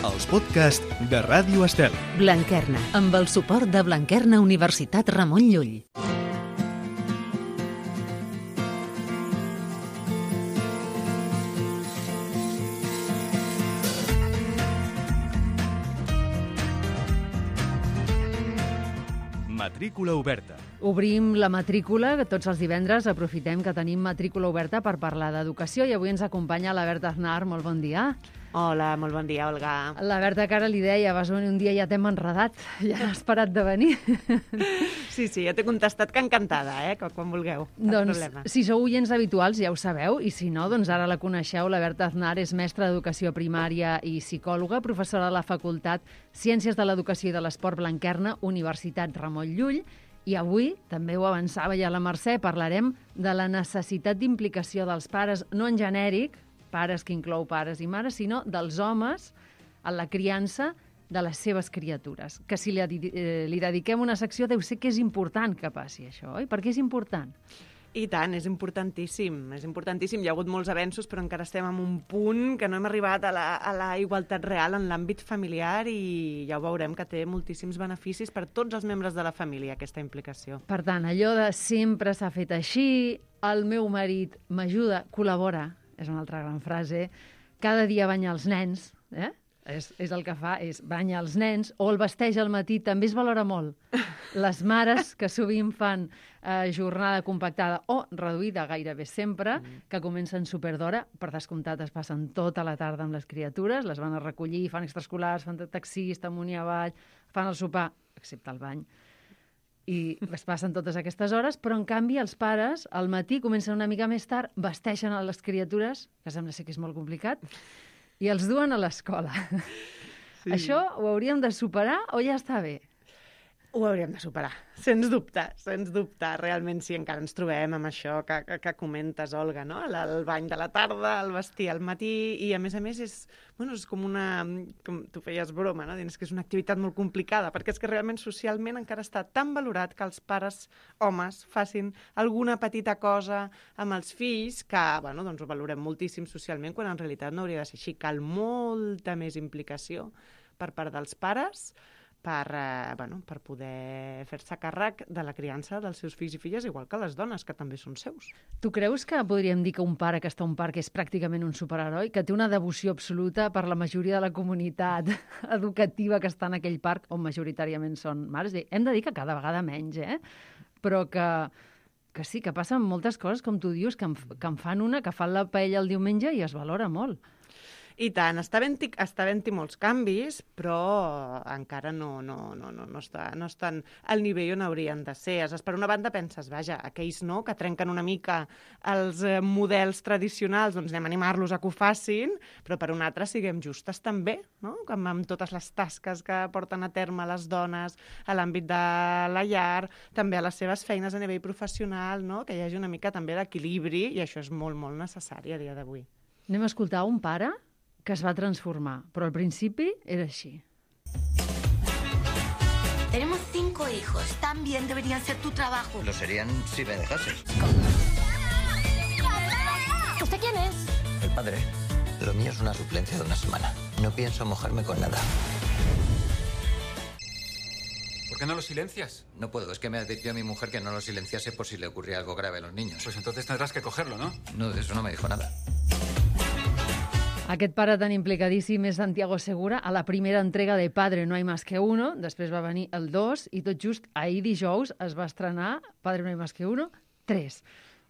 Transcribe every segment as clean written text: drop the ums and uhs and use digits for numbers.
els podcasts de Ràdio Estel. Blanquerna, amb el suport de Blanquerna Universitat Ramon Llull. Matrícula oberta. Obrim la matrícula, que tots els divendres aprofitem que tenim matrícula oberta per parlar d'educació i avui ens acompanya la Berta Aznar. Molt bon dia. Hola, molt bon dia, Olga. La Berta, que ara li deia, vas venir un dia i ja t'hem enredat, ja n'has parat de venir. Sí, ja t'he contestat que encantada, que quan vulgueu. Doncs, si sou oients habituals ja ho sabeu, i si no, doncs ara la coneixeu. La Berta Aznar és mestra d'Educació Primària i psicòloga, professora de la Facultat Ciències de l'Educació i de l'Esport Blanquerna, Universitat Ramon Llull, i avui, també ho avançava ja la Mercè, parlarem de la necessitat d'implicació dels pares, no en genèric, pares que inclou pares i mares, sinó dels homes en la criança de les seves criatures. Que si li dediquem una secció deu ser que és important que passi això, oi? Per què és important? I tant, és importantíssim, és importantíssim. Hi ha hagut molts avenços, però encara estem en un punt que no hem arribat a la igualtat real en l'àmbit familiar i ja ho veurem que té moltíssims beneficis per tots els membres de la família, aquesta implicació. Per tant, allò de sempre s'ha fet així, el meu marit m'ajuda, col·labora, és una altra gran frase, cada dia banya els nens, és el que fa, és banya els nens, o el vesteix al matí, també es valora molt. Les mares, que sovint fan jornada compactada o reduïda gairebé sempre, que comencen superd'hora, per descomptat es passen tota la tarda amb les criatures, les van a recollir, fan extraescolars, fan de taxista, amunt i avall, fan el sopar, excepte el bany, i es passen totes aquestes hores, però en canvi els pares al matí comencen una mica més tard, vesteixen a les criatures, que sembla ser que és molt complicat, i els duen a l'escola. Sí. Això ho hauríem de superar o ja està bé? Ho hauríem de superar, sens dubte, sens dubte. Realment sí, encara ens trobem amb això que comentes, Olga, no? El bany de la tarda, el vestir al matí, i a més és com una... com tu feies broma, no? Dins que és una activitat molt complicada, perquè és que realment socialment encara està tan valorat que els pares homes facin alguna petita cosa amb els fills que, doncs ho valorem moltíssim socialment, quan en realitat no hauria de ser així. Cal molta més implicació per part dels pares per poder fer-se càrrec de la criança dels seus fills i filles, igual que les dones, que també són seus. Tu creus que podríem dir que un pare que està a un parc és pràcticament un superheroi, que té una devoció absoluta per la majoria de la comunitat educativa que està en aquell parc, on majoritàriament són mares? Hem de dir que cada vegada menys, però que sí, que passen moltes coses, com tu dius, que en fan una, que fan la paella el diumenge i es valora molt. I tant, està havent-hi molts canvis, però encara no estan al nivell on haurien de ser. Per una banda penses, aquells que trenquen una mica els models tradicionals, doncs anem a animar-los a que ho facin, però per una altra siguem justes també, no? Amb totes les tasques que porten a terme les dones a l'àmbit de la llar, també a les seves feines a nivell professional, no? Que hi hagi una mica també d'equilibri, i això és molt, molt necessari a dia d'avui. Anem a escoltar un pare que es va transformar, però al principi era així. Tenemos 5 hijos, también deberían ser tu trabajo. Lo serían si me dejases. ¿Usted quién es? El padre. Lo mío es una suplencia de una semana. No pienso mojarme con nada. ¿Por qué no lo silencias? No puedo, es que me advirtió a mi mujer que no lo silenciase por si le ocurría algo grave a los niños. Pues entonces tendrás que cogerlo, ¿no? No, de eso no me dijo nada. Aquest pare tan implicadíssim és Santiago Segura. A la primera entrega de Padre no hay más que uno, després va venir el 2, i tot just ahir dijous es va estrenar Padre no hay más que uno 3.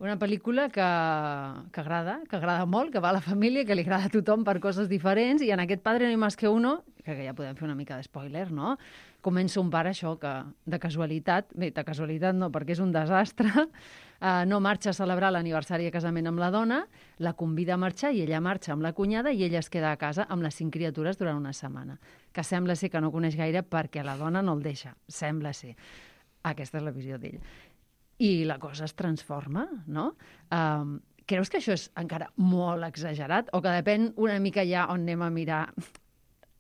Una pel·lícula que agrada molt, que va a la família, que li agrada a tothom per coses diferents, i en aquest Padre no hay más que uno, que ja podem fer una mica d'espoiler, no? Comença un pare, això, que de casualitat no, perquè és un desastre, no marxa a celebrar l'aniversari de casament amb la dona, la convida a marxar i ella marxa amb la cunyada i ella es queda a casa amb les 5 criatures durant una setmana, que sembla ser que no coneix gaire perquè la dona no el deixa, sembla ser. Aquesta és la visió d'ell. I la cosa es transforma, no? Creus que això és encara molt exagerat o que depèn una mica ja on anem a mirar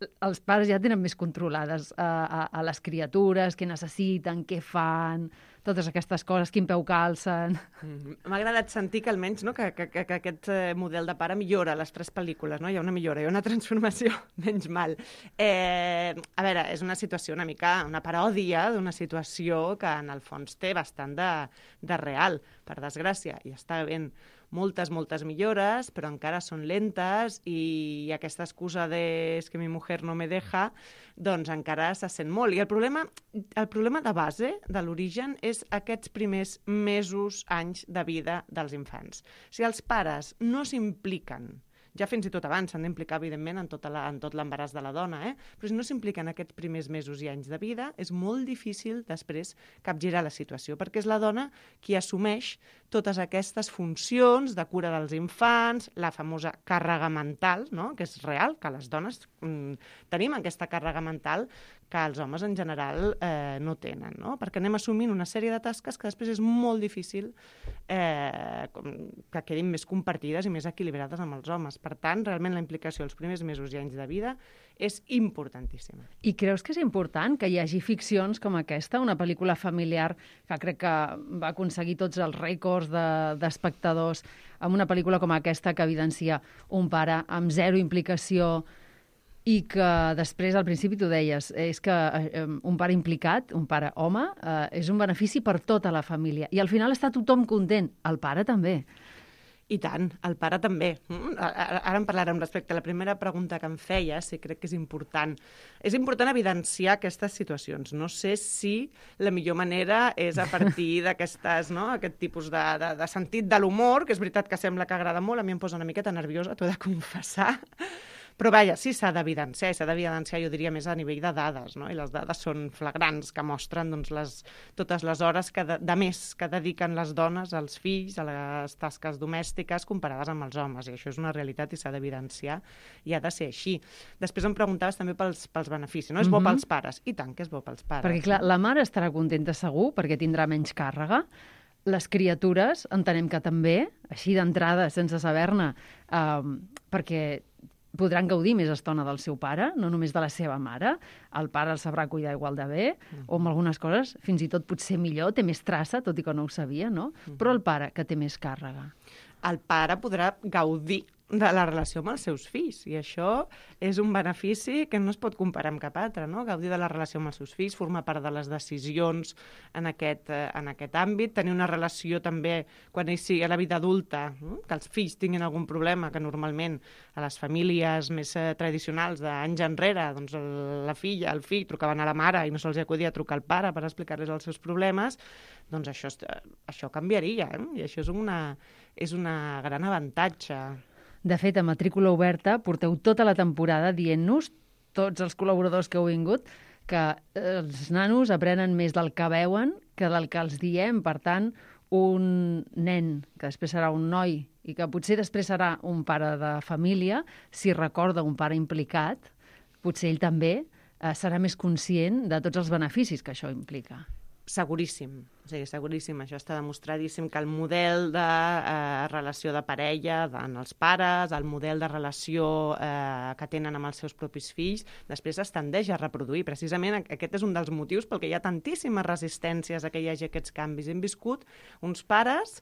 els pares ja tenen més controlades a les criatures, què necessiten, què fan, totes aquestes coses, quin peu calcen... M'ha agradat sentir que almenys que aquest model de pare millora a les 3 pel·lícules, no? Hi ha una millora, hi ha una transformació, menys mal. A veure, és una situació una mica, una paròdia d'una situació que en el fons té bastant de real, per desgràcia, i està ben moltes millores, però encara són lentes i aquesta excusa de «es que mi mujer no me deja», doncs encara se sent molt. I el problema de base, de l'origen, és aquests primers mesos, anys de vida dels infants. Si els pares no s'impliquen, ja fins i tot abans s'han d'implicar, evidentment, en tot l'embaràs de la dona, però si no s'impliquen aquests primers mesos i anys de vida, és molt difícil després capgirar la situació, perquè és la dona qui assumeix totes aquestes funcions de cura dels infants, la famosa càrrega mental, no? Que és real, que les dones tenim aquesta càrrega mental que els homes en general no tenen, no? Perquè anem assumint una sèrie de tasques que després és molt difícil que quedin més compartides i més equilibrades amb els homes. Per tant, realment la implicació els primers mesos i anys de vida és importantíssima. I creus que és important que hi hagi ficcions com aquesta, una pel·lícula familiar que crec que va aconseguir tots els rècords d'espectadors, amb una pel·lícula com aquesta que evidencia un pare amb zero implicació i que després, al principi t'ho deies, és que un pare implicat, un pare home, és un benefici per tota la família. I al final està tothom content, el pare també. I tant, el pare també. Ara en parlarem respecte a la primera pregunta que em feia, si crec que és important. És important evidenciar aquestes situacions. No sé si la millor manera és a partir d'aquestes, no?, aquest tipus de sentit de l'humor, que és veritat que sembla que agrada molt, a mi em posa una miqueta nerviosa, t'ho he de confessar. Però vaja, sí, s'ha d'evidenciar, jo diria més a nivell de dades, no? I les dades són flagrants, que mostren doncs, totes les hores de més que dediquen les dones als fills, a les tasques domèstiques, comparades amb els homes. I això és una realitat i s'ha d'evidenciar i ha de ser així. Després em preguntaves també pels beneficis, no? És bo pels pares? I tant que és bo pels pares. Perquè, clar, la mare estarà contenta segur, perquè tindrà menys càrrega. Les criatures entenem que també, així d'entrada, sense saber-ne, perquè podran gaudir més estona del seu pare, no només de la seva mare. El pare el sabrà cuidar igual de bé, o amb algunes coses fins i tot potser millor, té més traça, tot i que no ho sabia, no? Però el pare, que té més càrrega. El pare podrà gaudir de la relació amb els seus fills, i això és un benefici que no es pot comparar amb cap altre, no? Gaudir de la relació amb els seus fills, formar part de les decisions en aquest àmbit, tenir una relació també quan ell sigui a la vida adulta, que els fills tinguin algun problema, que normalment a les famílies més tradicionals d'anys enrere, doncs la filla, el fill trucaven a la mare i no se'ls acudia trucar al pare per explicar-los els seus problemes, doncs això canviaria, i això és un gran avantatge. De fet, a Matrícula Oberta porteu tota la temporada dient-nos, tots els col·laboradors que heu vingut, que els nanos aprenen més del que veuen que del que els diem. Per tant, un nen, que després serà un noi, i que potser després serà un pare de família, si recorda un pare implicat, potser ell també serà més conscient de tots els beneficis que això implica. Seguríssim, seguríssim. Això està demostradíssim que el model de relació de parella en els pares, el model de relació que tenen amb els seus propis fills, després es tendeix a reproduir. Precisament aquest és un dels motius pel que hi ha tantíssimes resistències a que hi hagi aquests canvis. Hem viscut uns pares,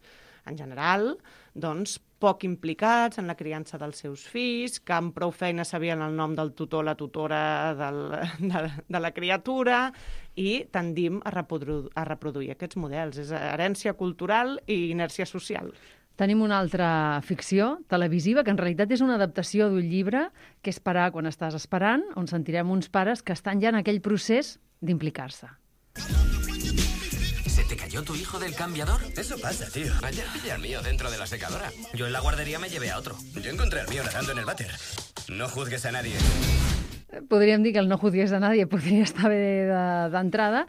en general, doncs, poc implicats en la criança dels seus fills, que amb prou feina sabien el nom del tutor, la tutora de la criatura, i tendim a reproduir aquests models. És herència cultural i inèrcia social. Tenim una altra ficció televisiva, que en realitat és una adaptació d'un llibre, que és Parar quan estàs esperant, on sentirem uns pares que estan ja en aquell procés d'implicar-se. ¿Se te cayó tu hijo del cambiador? Eso pasa, tío. Ayer pillé al mío dentro de la secadora. Yo en la guardería me llevé a otro. Yo encontré al mío nadando en el váter. No juzgues a nadie. Podríem dir que el no juzgues a nadie podria estar bé d'entrada.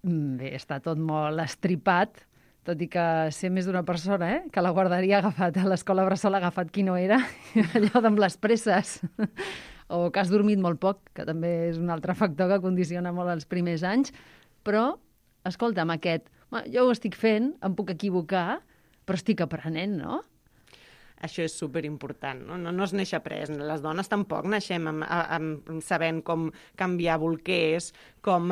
Bé, està tot molt estripat, tot i que sé més d'una persona, que la guarderia ha agafat, a l'escola bressol ha agafat qui no era, allò amb les presses, o que has dormit molt poc, que també és un altre factor que condiciona molt els primers anys, però escolta, amb aquest, jo ho estic fent, em puc equivocar, però estic aprenent, no? Això és superimportant, no? No es neix après. Les dones tampoc naixem sabent com canviar bolquers, com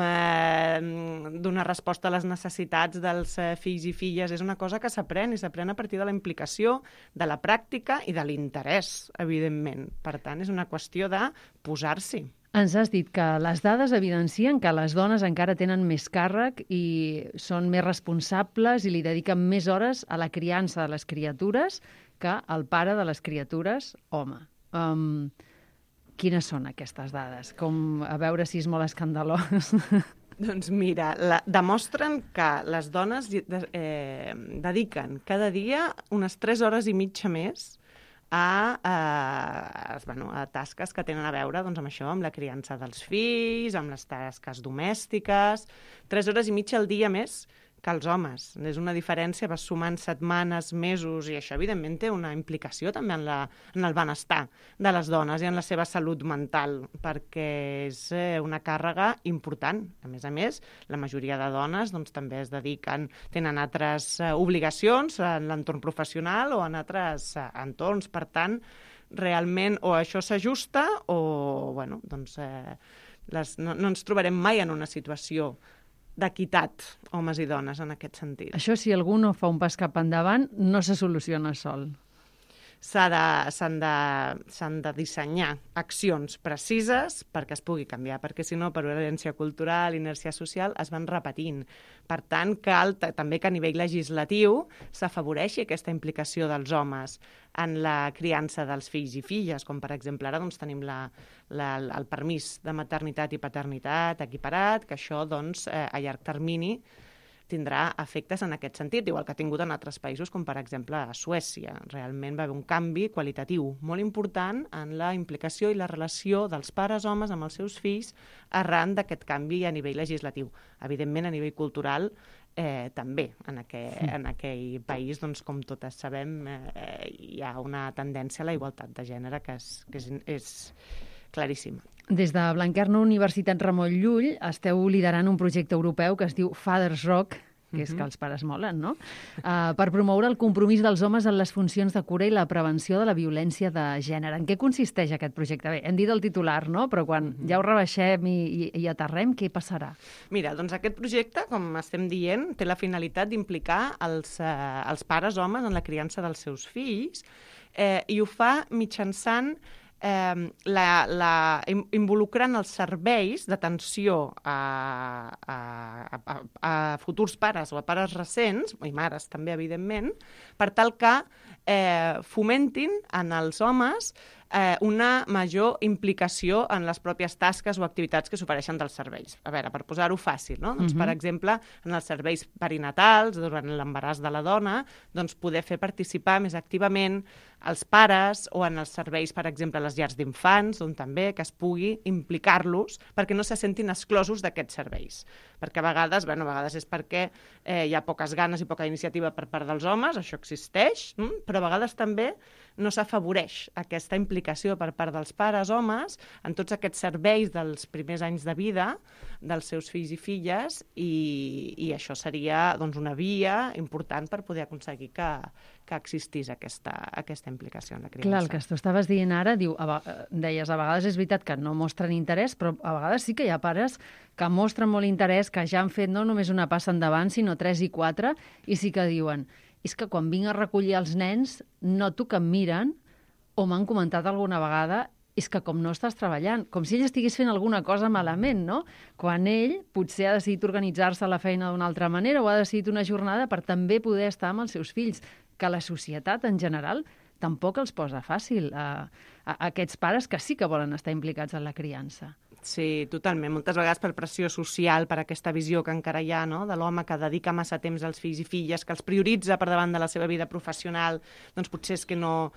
donar resposta a les necessitats dels fills i filles. És una cosa que s'aprèn, i s'aprèn a partir de la implicació, de la pràctica i de l'interès, evidentment. Per tant, és una qüestió de posar-s'hi. Ens has dit que les dades evidencien que les dones encara tenen més càrrec i són més responsables i li dediquen més hores a la criança de les criatures que el pare de les criatures, home. Quines són aquestes dades? A veure si és molt escandalós. Doncs mira, demostren que les dones dediquen cada dia unes 3 hores i mitja més a tasques que tenen a veure amb això, amb la criança dels fills, amb les tasques domèstiques. 3 hores i mitja al dia més que els homes. És una diferència, vas sumant setmanes, mesos, i això evidentment té una implicació també en el benestar de les dones i en la seva salut mental, perquè és una càrrega important. A més, la majoria de dones també es dediquen, tenen altres obligacions en l'entorn professional o en altres entorns. Per tant, realment o això s'ajusta o no ens trobarem mai en una situació d'equitat, homes i dones, en aquest sentit. Això, si algú no fa un pas cap endavant, no se soluciona sol. S'han de dissenyar accions precises perquè es pugui canviar, perquè si no, per herència cultural, inèrcia social, es van repetint. Per tant, cal també que a nivell legislatiu s'afavoreixi aquesta implicació dels homes en la criança dels fills i filles, com per exemple ara tenim el permís de maternitat i paternitat equiparat, que això a llarg termini tindrà efectes en aquest sentit, igual que ha tingut en altres països, com per exemple a Suècia. Realment va haver un canvi qualitatiu molt important en la implicació i la relació dels pares homes amb els seus fills arran d'aquest canvi a nivell legislatiu. Evidentment, a nivell cultural, també en aquell país, com totes sabem, hi ha una tendència a la igualtat de gènere que és claríssima. Des de Blanquerna Universitat Ramon Llull esteu liderant un projecte europeu que es diu Fathers Rock, que és que els pares molen, no? Per promoure el compromís dels homes en les funcions de cura i la prevenció de la violència de gènere. En què consisteix aquest projecte? Bé, hem dit el titular, no? Però quan ja ho rebaixem i aterrem, què passarà? Mira, aquest projecte, com estem dient, té la finalitat d'implicar els pares homes en la criança dels seus fills i ho fa mitjançant involucrant els serveis d'atenció a futurs pares o a pares recents, i mares també, evidentment, per tal que fomentin en els homes una major implicació en les pròpies tasques o activitats que s'ofereixen dels serveis. A veure, per posar-ho fàcil, no? Per exemple, en els serveis perinatals, durant l'embaràs de la dona, poder fer participar més activament els pares, o en els serveis, per exemple, a les llars d'infants, on també que es pugui implicar-los perquè no se sentin exclosos d'aquests serveis. Perquè a vegades és perquè hi ha poques ganes i poca iniciativa per part dels homes, això existeix, però a vegades també no s'afavoreix aquesta implicació per part dels pares homes en tots aquests serveis dels primers anys de vida dels seus fills i filles, i això seria una via important per poder aconseguir que existís aquesta implicació en la criança. Clar, el que tu estaves dient ara, deies, a vegades és veritat que no mostren interès, però a vegades sí que hi ha pares que mostren molt interès, que ja han fet no només una passa endavant, sinó 3 i 4, i sí que diuen, és que quan vinc a recollir els nens noto que em miren o m'han comentat alguna vegada és que com no estàs treballant, com si ell estigués fent alguna cosa malament, no? Quan ell potser ha decidit organitzar-se a la feina d'una altra manera o ha decidit una jornada per també poder estar amb els seus fills, que la societat en general tampoc els posa fàcil a aquests pares que sí que volen estar implicats en la criança. Sí, totalment. Moltes vegades per pressió social, per aquesta visió que encara hi ha, no?, de l'home que dedica massa temps als fills i filles, que els prioritza per davant de la seva vida professional, doncs potser és que no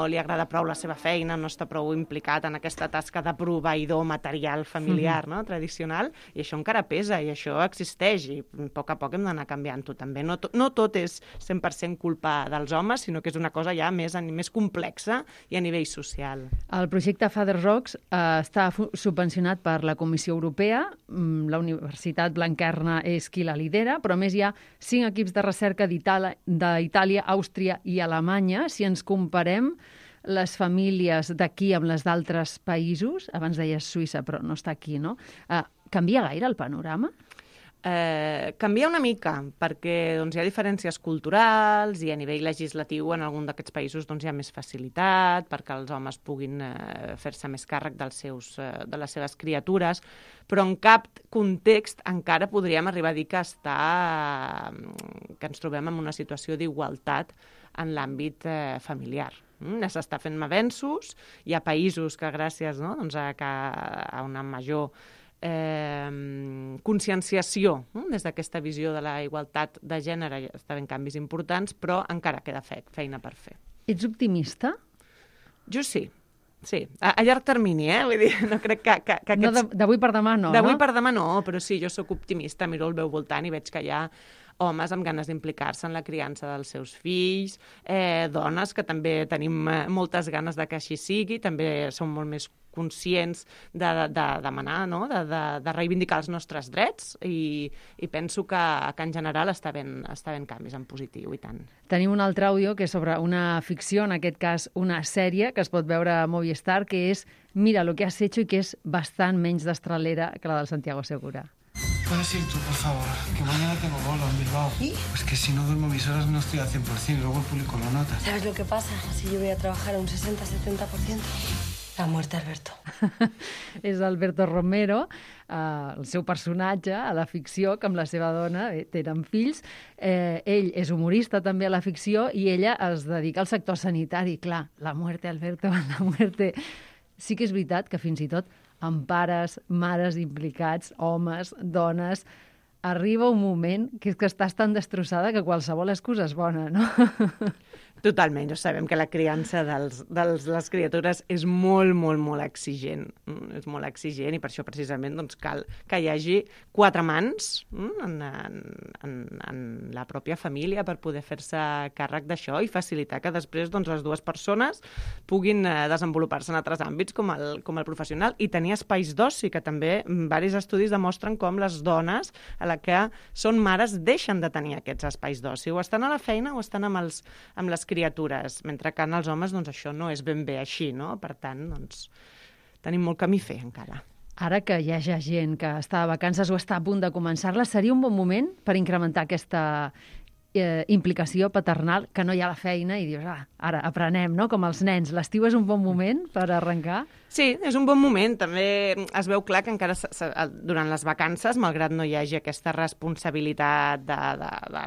li agrada prou la seva feina, no està prou implicat en aquesta tasca de proveïdor material familiar, no?, tradicional, i això encara pesa, i això existeix, i a poc hem d'anar canviant-ho també. No tot és 100% culpa dels homes, sinó que és una cosa ja més complexa i a nivell social. El projecte Father Rocks està subvencionat per la Comissió Europea. La Universitat Blanquerna és qui la lidera, però a més hi ha 5 equips de recerca d'Itàlia, Àustria i Alemanya. Si ens comparem les famílies d'aquí amb les d'altres països, abans deies Suïssa, però no està aquí, no? Canvia gaire el panorama? Canvia una mica, perquè doncs, hi ha diferències culturals i a nivell legislatiu en algun d'aquests països doncs, hi ha més facilitat perquè els homes puguin fer-se més càrrec de les seves criatures, però en cap context encara podríem arribar a dir que ens trobem en una situació d'igualtat en l'àmbit familiar. S'està fent avenços, hi ha països que gràcies a una major conscienciació des d'aquesta visió de la igualtat de gènere està havent canvis importants, però encara queda feina per fer. Ets optimista? Jo sí. A llarg termini, vull dir, no crec que aquests... No, d'avui per demà no, D'avui per demà no, però sí, jo sóc optimista, miro el meu voltant i veig que hi ha homes amb ganes d'implicar-se en la criança dels seus fills, dones que també tenim moltes ganes de que així sigui, també som molt més conscients de demanar, no? de reivindicar els nostres drets i penso que en general està ben canvis en positiu i tant. Tenim un altre àudio que és sobre una ficció, en aquest cas una sèrie que es pot veure a Movistar, que és Mira lo que has hecho, i que és bastant menys destralera que la del Santiago Segura. ¿Puedes ir tú, por favor? Que mañana tengo bolo en Bilbao. ¿Y? Pues que si no duermo mis horas no estoy al 100% y luego el público lo nota. ¿Sabes lo que pasa? Si yo voy a trabajar a un 60-70%. La muerte, Alberto. És Alberto Romero, el seu personatge a la ficció, que amb la seva dona tenen fills. Ell és humorista també a la ficció i ella es dedica al sector sanitari. Clar, la muerte, Alberto, la muerte. Sí que és veritat que fins i tot amb pares, mares implicats, homes, dones, arriba un moment que és que estàs tan destrossada que qualsevol excusa és bona, no? Totalment, ja sabem que la criança de les criatures és molt, molt, molt exigent. És molt exigent i per això precisament doncs, cal que hi hagi 4 mans en la pròpia família per poder fer-se càrrec d'això i facilitar que després doncs, les dues persones puguin desenvolupar-se en altres àmbits com el professional i tenir espais d'oci, que també diversos estudis demostren com les dones a la que són mares deixen de tenir aquests espais d'oci. O estan a la feina o estan amb les criatures, mentre que en els homes doncs, això no és ben bé així, no? Per tant, doncs, tenim molt camí a fer encara. Ara que hi hagi gent que està de vacances o està a punt de començar-les, seria un bon moment per incrementar aquesta implicació paternal, que no hi ha la feina i dius, ara aprenem, no? Com els nens. L'estiu és un bon moment per arrencar? Sí, és un bon moment. També es veu clar que encara durant les vacances, malgrat no hi hagi aquesta responsabilitat de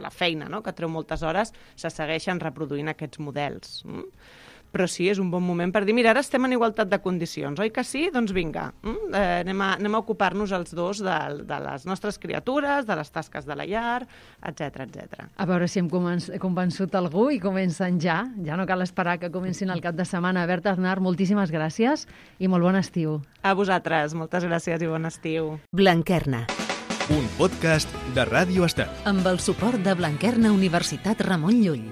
la feina, no? Que treu moltes hores, se segueixen reproduint aquests models. Però sí, és un bon moment per dir, mira, ara estem en igualtat de condicions, oi que sí? Doncs vinga, anem a ocupar-nos els dos de les nostres criatures, de les tasques de la llar, etc etc. A veure si hem convençut algú i comencen ja no cal esperar que comencin el cap de setmana. Berta Aznar, moltíssimes gràcies i molt bon estiu. A vosaltres, moltes gràcies i bon estiu. Blanquerna. Un podcast de Ràdio Estel. Amb el suport de Blanquerna Universitat Ramon Llull.